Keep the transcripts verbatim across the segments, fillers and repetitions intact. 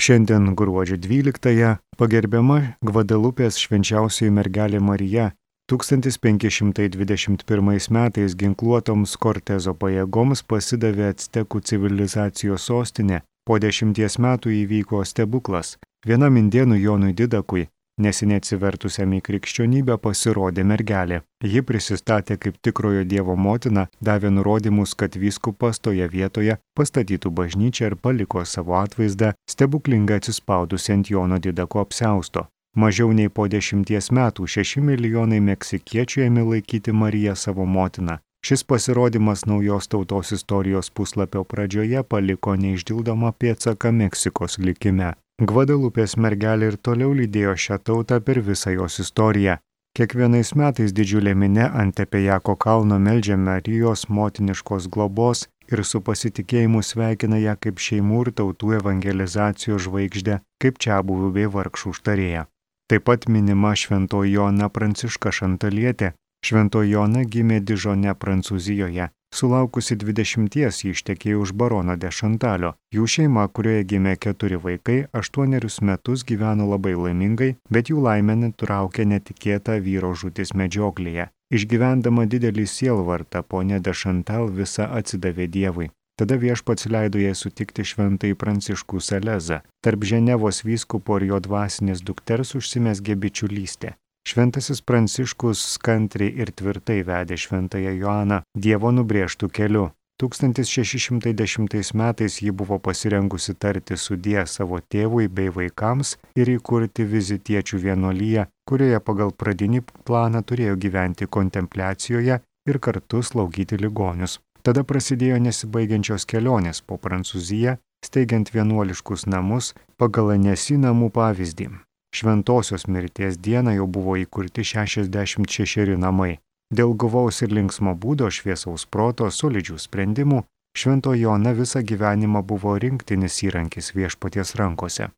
Šiandien gruodžio dvyliktąją pagerbiama Gvadelupės švenčiausioji mergelė Marija. tūkstantis penki šimtai dvidešimt pirmais metais ginkluotoms Kortezo pajėgoms pasidavė actekų civilizacijos sostinė. Po dešimties metų įvyko stebuklas. Vienam indėnų Jonui Didakui, neseniai atsivertusiam į krikščionybę, pasirodė mergelė. Ji prisistatė kaip tikrojo Dievo motina, davė nurodymus, kad vyskupas toje vietoje pastatytų bažnyčią ir paliko savo atvaizdą stebuklingai atsispaudusi ant Jono Didako apsiausto. Mažiau nei po dešimties metų šeši milijonai meksikiečių ėmė laikyti Mariją savo motiną. Šis pasirodymas naujos tautos istorijos puslapio pradžioje paliko neišdildomą pėdsaką Meksikos likime. Gvadelupės mergelė ir toliau lydėjo šią tautą per visą jos istoriją. Kiekvienais metais didžiulė minia ant Tepejako kalno meldžia Marijos motiniškos globos ir su pasitikėjimu sveikina ją kaip šeimų ir tautų evangelizacijos žvaigždę, kaip čiabuvių bei vargšų užtarėją. Taip pat minima šventoji Joana Pranciška Šantalietė. Šventoji Joana gimė Dižone, Prancūzijoje. Sulaukusi dvidešimties ji ištekėjo už barono de Šantalio. Jų šeima, kurioje gimė keturi vaikai, aštuonerius metus gyveno labai laimingai, bet jų laimę nutraukė netikėta vyro žūtis medžioklėje. Išgyvendama didelį sielvartą, ponia de Šantal visa atsidavė Dievui. Tada viešpats leido jai sutikti šventąjį Pranciškų Salezą. Tarp Ženevos vyskupo ir jo dvasinės dukters užsimezgė bičiulystė. Šventasis Pranciškus kantriai ir tvirtai vedė šventąją Joaną Dievo nubrėžtų keliu. tūkstantis šeši šimtai dešimtais metais ji buvo pasirengusi tarti sudie savo tėvui bei vaikams ir įkurti vizitiečių vienuoliją, kurioje pagal pradinį planą turėjo gyventi kontempliacijoje ir kartu slaugyti ligonius. Tada prasidėjo nesibaigiančios kelionės po Prancūziją, steigiant vienuoliškus namus pagal Anesi namų pavyzdį. Šventosios mirties dieną jau buvo įkurti šešiasdešimt šešeri namai. Dėl guvaus ir linksmo būdo, šviesaus proto, solidžių sprendimų, šventoji Joana visą gyvenimą buvo rinktinis įrankis viešpaties rankose.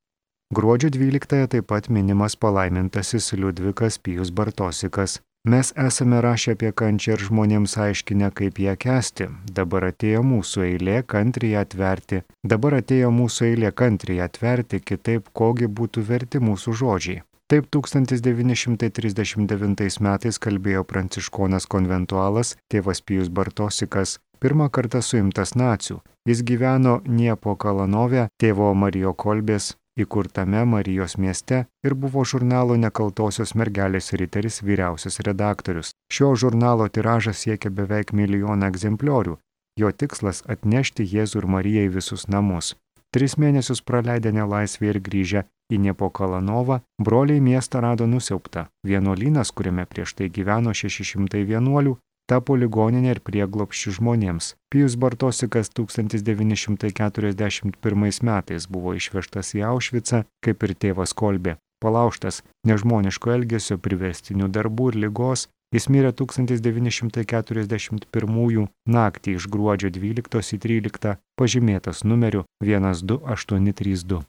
Gruodžio dvyliktąją taip pat minimas palaimintasis Liudvikas Pijus Bartosikas. Mes esame rašę apie kančią ir žmonėms aiškinę, kaip ją kęsti. Dabar atėjo mūsų eilė kantriai atverti. Dabar atėjo mūsų eilė kantriai atverti, kitaip kogi būtų verti mūsų žodžiai. Taip tūkstantis devyni šimtai trisdešimt devintais metais kalbėjo pranciškonas konventualas tėvas Pijus Bartosikas, pirmą kartą suimtas nacių. Jis gyveno Niepo Kalanove, tėvo Marijo Kolbės įkurtame Marijos mieste ir buvo žurnalo Nekaltosios mergelės riteris vyriausias redaktorius. Šio žurnalo tiražas siekia beveik milijoną egzempliorių. Jo tikslas atnešti Jėzų ir Mariją į visus namus. Tris mėnesius praleidę nelaisvėje ir grįžę į Niepo Kalanovą, broliai miestą rado nusiaubtą. Vienuolynas, kuriame prieš tai gyveno šeši šimtai vienuolių, tapo ligoninė ir prieglobsčiu žmonėms. Pijus Bartosikas tūkstantis devyni šimtai keturiasdešimt pirmais metais buvo išvežtas į Aušvicą, kaip ir tėvas Kolbė. Palaužtas nežmoniško elgesio, priverstinių darbų ir ligos, jis mirė tūkstantis devyni šimtai keturiasdešimt pirmųjų naktį iš gruodžio dvyliktos į tryliktą, pažymėtas numeriu vienas du aštuoni trys du.